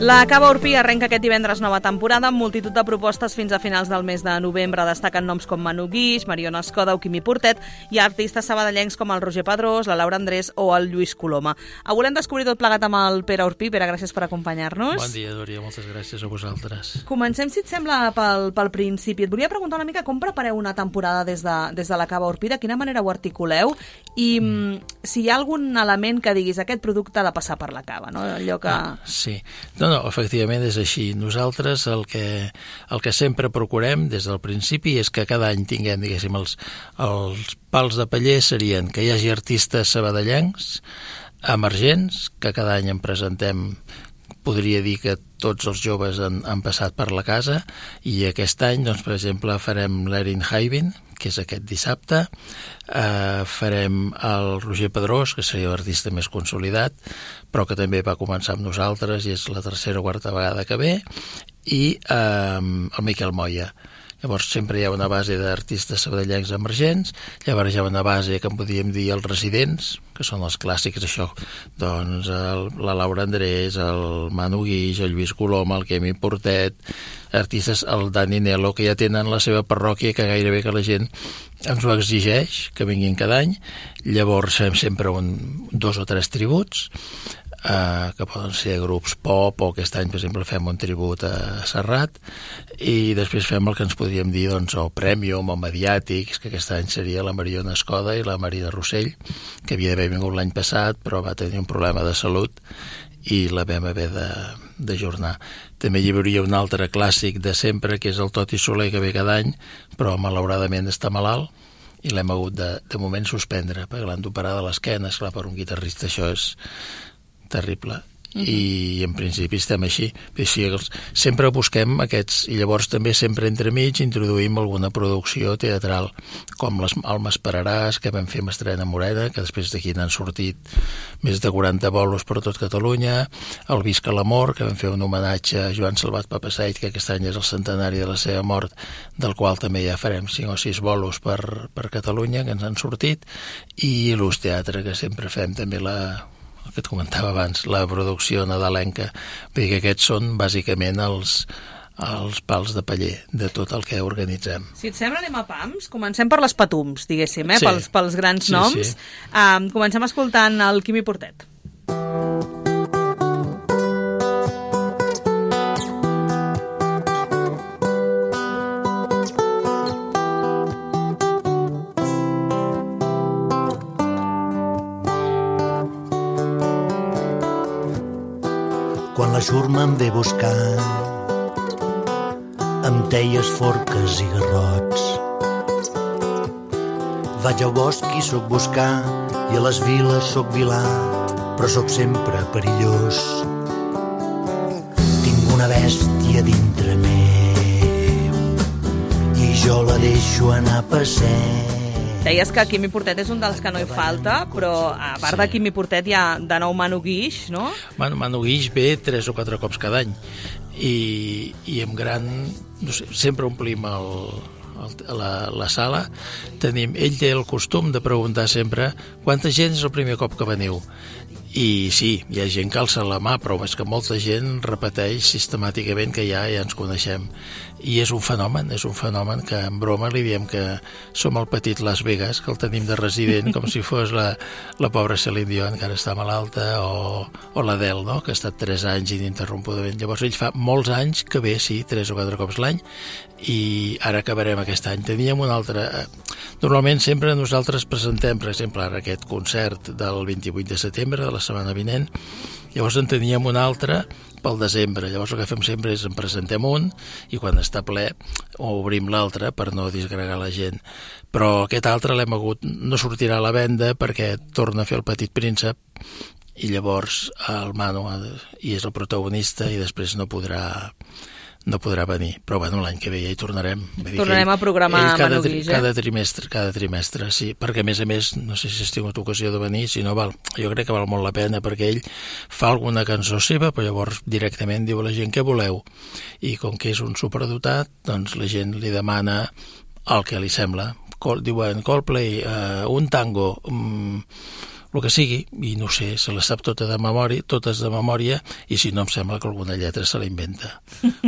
La Cava Orpí arrenca aquest divendres nova temporada amb multitud de propostes fins a finals del mes de novembre. Destaquen noms com Manu Guix, Mariona Escoda o Quimi Portet i artistes sabadellencs com el Roger Pedrós, la Laura Andrés o el Lluís Coloma. Avui volem descobrir tot plegat amb el Pere Orpí. Pere, gràcies per acompanyar-nos. Bon dia, Dòria, moltes gràcies a vosaltres. Comencem, si et sembla, pel principi. Et volia preguntar una mica com prepareu una temporada des de la Cava Orpí, de quina manera ho articuleu i si hi ha algun element que diguis aquest producte ha de passar per la cava, no? Allò que... Sí. No, efectivament és així. Nosaltres el que sempre procurem des del principi és que cada any tinguem, diguéssim, els pals de paller serien que hi hagi artistes sabadellencs emergents, que cada any en presentem, podria dir que tots els joves han passat per la casa, i aquest any, doncs, per exemple, farem l'Erin Haibin, que és aquest dissabte, farem el Roger Pedrós, que seria l'artista més consolidat, però que també va començar amb nosaltres i és la tercera o quarta vegada que ve, i el Miquel Moya. Llavors sempre hi ha una base d'artistes sabadellencs emergents, llavors hi ha una base que en podríem dir els residents, que són els clàssics, això, doncs la Laura Andrés, el Manu Guix, el Lluís Coloma, el Quimi Portet, artistes, el Dani Nelo, que ja tenen la seva parròquia, que gairebé que la gent ens ho exigeix, que vinguin cada any. Llavors fem sempre 2 o 3 tributs, que poden ser grups pop, o aquest any, per exemple, fem un tribut a Serrat, i després fem el que ens podríem dir, doncs, o Premium o Mediàtics, que aquest any seria la Mariona Escoda i la Marina Rossell, que havia d'haver vingut l'any passat, però va tenir un problema de salut i la vam haver d'ajornar. També hi hauria un altre clàssic de sempre, que és el Toti Soler, que ve cada any, però malauradament està malalt, i l'hem hagut de moment suspendre, perquè l'han d'operar de l'esquena. Esclar, per un guitarrista això és terrible. I en principi estem així. Sempre busquem aquests, i llavors també sempre entremig introduïm alguna producció teatral, com el M'Esperaràs, que vam fer amb Estrena Morena, que després d'aquí n'han sortit més de 40 bolos per tot Catalunya, el Visca l'Amor, que vam fer un homenatge a Joan Salvat Papasseit, que aquest any és el centenari de la seva mort, del qual també ja farem 5 o 6 bolos per Catalunya, que ens han sortit, i l'Ús Teatre, que sempre fem també el que et comentava abans, la producció nadalenca, perquè aquests són bàsicament els pals de paller de tot el que organitzem. Si et sembla, anem a pams. Comencem per les patums, diguéssim, Sí. pels grans noms. Sí. Comencem escoltant el Quimi Portet. Quan la xurma em ve buscant, amb teies, forques i garrots, vaig al bosc i soc buscar, i a les viles soc vilà, però soc sempre perillós. Tinc una bèstia dintre meu i jo la deixo anar a passeig. Deies que Quimi Portet és un dels que no hi falta, però a part de Quimi Portet hi ha de nou Manu Guix, no? Manu Guix ve 3 o 4 cops cada any, i amb gran... No sé, sempre omplim la sala. Ell té el costum de preguntar sempre quanta gent és el primer cop que veniu. I sí, hi ha gent que alça la mà, però és que molta gent repeteix sistemàticament que ja ens coneixem. I és un fenomen que en broma li diem que som el petit Las Vegas, que el tenim de resident, com si fos la pobra Celine Dion, que ara està malalta, o l'Adele, no?, que ha estat 3 anys ininterrompudament. Llavors ell fa molts anys que ve, sí, 3 o 4 cops l'any, i ara acabarem aquest any. Teníem un altre... Normalment sempre nosaltres presentem, per exemple, ara aquest concert del 28 de setembre, de la setmana vinent, llavors en teníem un altre pel desembre. Llavors el que fem sempre és en presentem un i quan està ple obrim l'altre per no disgregar la gent. Però aquest altre l'hem hagut... no sortirà a la venda perquè torna a fer el Petit Príncep i llavors el Manu i és el protagonista i després no podrà venir, però bueno, l'any que ve ja hi tornarem. Tornarem a programar Manu Guix, cada trimestre, sí, perquè a més, no sé si has tingut ocasió de venir, si no jo crec que val molt la pena, perquè ell fa alguna cançó seva, però llavors directament diu a la gent què voleu, i com que és un superdotat, doncs la gent li demana el que li sembla. Diuen Coldplay, un tango, el que sigui, i no sé, se les sap totes de memòria, i si no em sembla que alguna lletra se la inventa.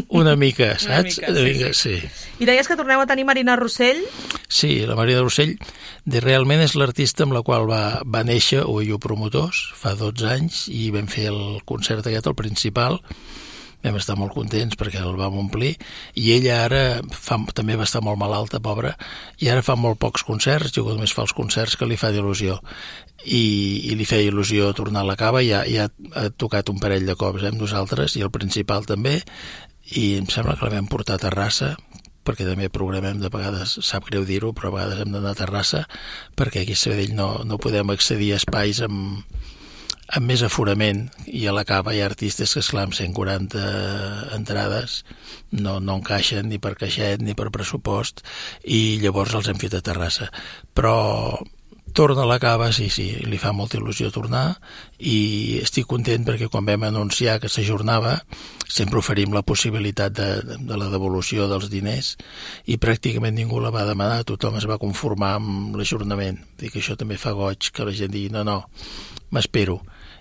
Una mica, saps? Una mica, sí. I deies que torneu a tenir Marina Rossell? Sí, la Marina Rossell realment és l'artista amb la qual va néixer OIU Promotors fa 12 anys, i vam fer el concert aquest, el principal. Vam estar molt contents perquè el vam omplir, i ella ara també va estar molt malalta, pobra, i ara fa molt pocs concerts, jo només fa els concerts que li fa d'il·lusió, i li feia il·lusió tornar a la cava, i ja ha tocat un parell de cops amb nosaltres, i el principal també, i em sembla que la vam portar a Terrassa, perquè també programem de vegades, sap greu dir-ho, però a vegades hem d'anar a Terrassa, perquè aquí a Sabadell no podem accedir a espais amb més aforament, i a la cava hi ha artistes que, esclar, amb 140 entrades no encaixen ni per caixet ni per pressupost, i llavors els hem fet a Terrassa. Però torna a la cava, sí, li fa molta il·lusió tornar, i estic content perquè quan vam anunciar que s'ajornava sempre oferim la possibilitat de la devolució dels diners, i pràcticament ningú la va demanar, tothom es va conformar amb l'ajornament. Dic que això també fa goig, que la gent digui no, m'espero,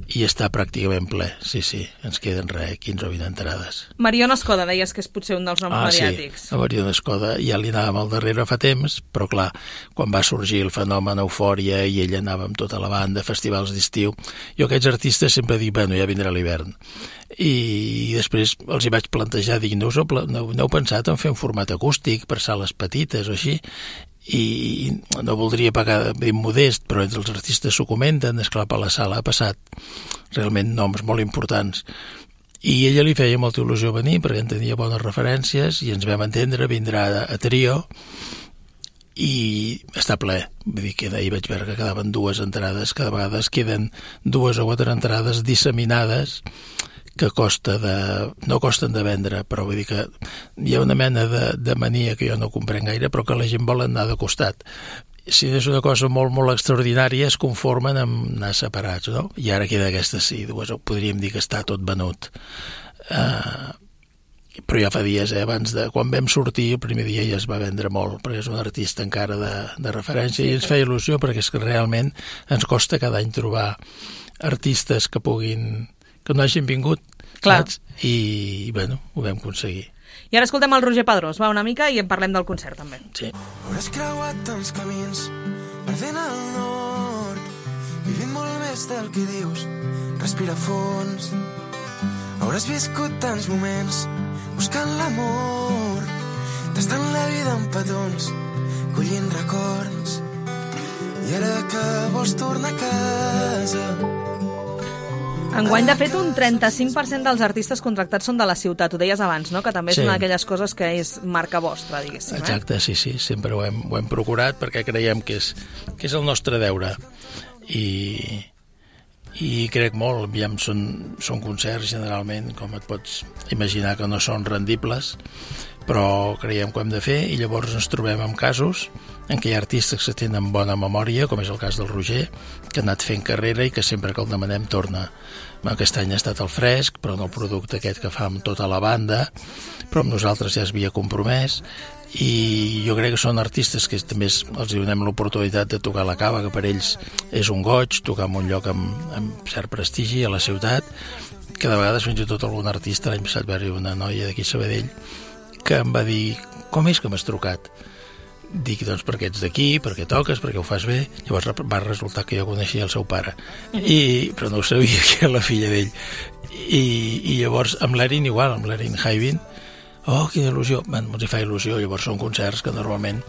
i està pràcticament ple, sí, ens queden 15 o 20 entrades. Mariona Escoda, deies que és potser un dels noms mediàtics. Sí, a Mariona Escoda ja li anàvem al darrere fa temps, però clar, quan va sorgir el fenomen Eufòria i ella anava amb tota la banda, festivals d'estiu, jo aquests artistes sempre dic, bueno, ja vindrà l'hivern. I després els hi vaig plantejar, dic, no heu pensat en fer un format acústic per sales petites o així? I no voldria pagar ben modest, però entre els artistes s'ho comenten, esclar, per la sala ha passat realment noms molt importants, i ella li feia molta il·lusió venir perquè en tenia bones referències, i ens vam entendre, vindrà a Trio, i està ple, vull dir que ahir vaig veure que quedaven 2 entrades, cada vegada es queden 2 o 4 entrades disseminades que no costen de vendre, però vull dir que hi ha una mena de mania que jo no comprenc gaire, però que la gent vol anar de costat. Si és una cosa molt, molt extraordinària, es conformen amb anar separats, no? I ara queda aquesta, sí, podríem dir que està tot venut. Però ja fa dies, abans quan vam sortir, el primer dia ja es va vendre molt, perquè és un artista encara de referència, i ens feia il·lusió, perquè és que realment ens costa cada any trobar artistes que no hagin vingut, saps? I, bueno, ho vam aconseguir. I ara escoltem el Roger Padrós, va, una mica, i en parlem del concert, també. Sí. Hauràs creuat tants camins, perdent el nord, vivint molt més del que dius, respira fons. Hauràs viscut tants moments, buscant l'amor, tastant la vida en petons, collint records. I ara que vols tornar a casa... Enguany, de fet, un 35% dels artistes contractats són de la ciutat. Ho deies abans, no? Que també és una d'aquelles coses que és marca vostra, diguéssim. Exacte, sí, sempre ho hem procurat perquè creiem que és el nostre deure. I crec molt, aviam, són concerts generalment, com et pots imaginar, que no són rendibles, però creiem que ho hem de fer, i llavors ens trobem amb casos en què hi ha artistes que tenen bona memòria, com és el cas del Roger, que ha anat fent carrera i que sempre que el demanem torna. Aquest any ha estat el Fresc, però no el producte aquest que fa amb tota la banda, però amb nosaltres ja es havia compromès, i jo crec que són artistes que també els donem l'oportunitat de tocar a la cava, que per ells és un goig, tocar en un lloc amb cert prestigi a la ciutat, que de vegades fins i tot algun artista, l'any passat va haver una noia d'aquí a Sabadell, que em va dir, com és que m'has trucat? Dic, doncs perquè ets d'aquí, perquè toques, perquè ho fas bé. Llavors va resultar que jo coneixia el seu pare, però no ho sabia, que era la filla d'ell. I llavors amb l'Erin igual, amb l'Erin Haivin, quina il·lusió, ens hi fa il·lusió. Llavors són concerts que normalment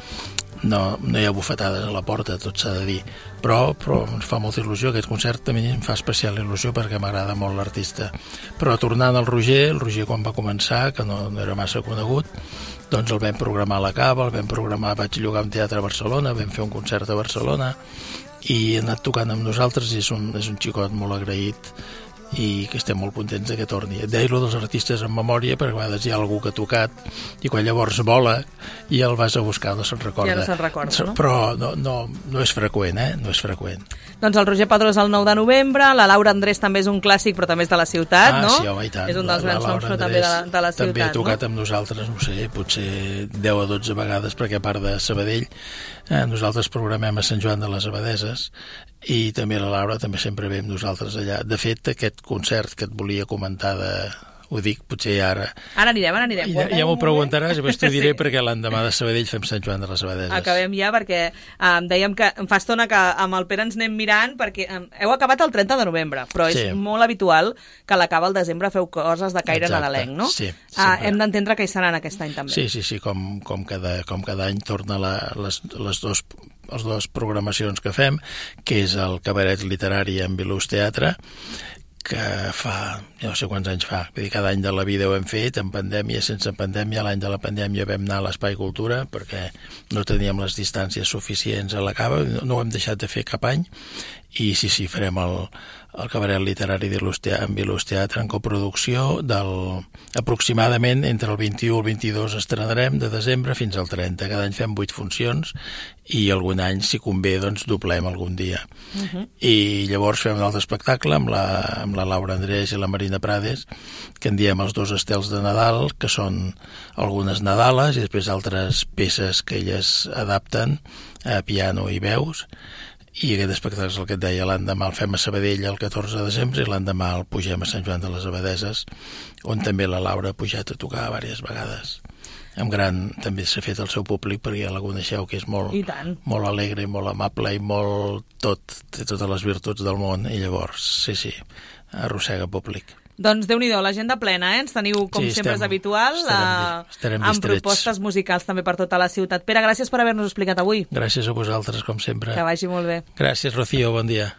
no hi ha bufetades a la porta, tot s'ha de dir, però ens fa molta il·lusió. Aquest concert també em fa especial il·lusió perquè m'agrada molt l'artista. Però tornant al Roger, el Roger quan va començar, que no era massa conegut, doncs el vam programar a la cava, vaig llogar un teatre a Barcelona, vam fer un concert a Barcelona, i ha anat tocant amb nosaltres, i és un xicot molt agraït, i que estem molt contents que torni. Et deia dels artistes en memòria, perquè a vegades hi ha algú que ha tocat, i quan llavors vola i el vas a buscar no se'n recorda. Ja no se'n recorda, no? Però no és freqüent, no és freqüent. Doncs el Roger Padrós el 9 de novembre, la Laura Andrés també és un clàssic, però també és de la ciutat, no? Sí, home, i tant. És un dels grans noms, però també de la ciutat, també ha tocat amb nosaltres, no sé, potser 10 o 12 vegades, perquè a part de Sabadell, nosaltres programem a Sant Joan de les Abadeses, i també la Laura també sempre ve amb nosaltres allà. De fet, aquest concert que et volia comentar ho dic, potser ara... Ara anirem. Ja m'ho preguntaràs i després t'ho diré perquè l'endemà de Sabadell fem Sant Joan de les Abadeses. Acabem ja perquè dèiem que fa estona que amb el Pere ens anem mirant perquè heu acabat el 30 de novembre, però és molt habitual que a l'acabar al desembre feu coses de caire nadalenc, no? Sí, hem d'entendre que hi seran aquest any també. Sí, com cada any torna les dues programacions que fem, que és el cabaret literari en Bilús Teatre, que fa, no sé quants anys fa, vull dir, cada any de la vida ho hem fet, en pandèmia, sense pandèmia. L'any de la pandèmia vam anar a l'Espai Cultura perquè no teníem les distàncies suficients a la cava, no ho hem deixat de fer cap any, i sí, farem el cabaret literari en Bilús Teatre en coproducció aproximadament entre el 21 i el 22 estrenarem de desembre fins al 30. Cada any fem 8 funcions i algun any, si convé, doncs doblem algun dia. I llavors fem un altre espectacle amb la Laura Andrés i la Marina Prades, que en diem els 2 estels de Nadal, que són algunes Nadales i després altres peces que elles adapten a piano i veus. I aquest espectacle és el que et deia, l'endemà el fem a Sabadell el 14 de desembre i l'endemà el pugem a Sant Joan de les Abadeses, on també la Laura ha pujat a tocar diverses vegades. També s'ha fet el seu públic perquè ja la coneixeu, que és molt alegre i molt amable i té totes les virtuts del món, i llavors, sí, arrossega públic. Doncs Déu-n'hi-do, l'agenda plena, ens teniu, com sempre és habitual, amb propostes musicals també per tota la ciutat. Pere, gràcies per haver-nos explicat avui. Gràcies a vosaltres, com sempre. Que vagi molt bé. Gràcies, Rocío, bon dia.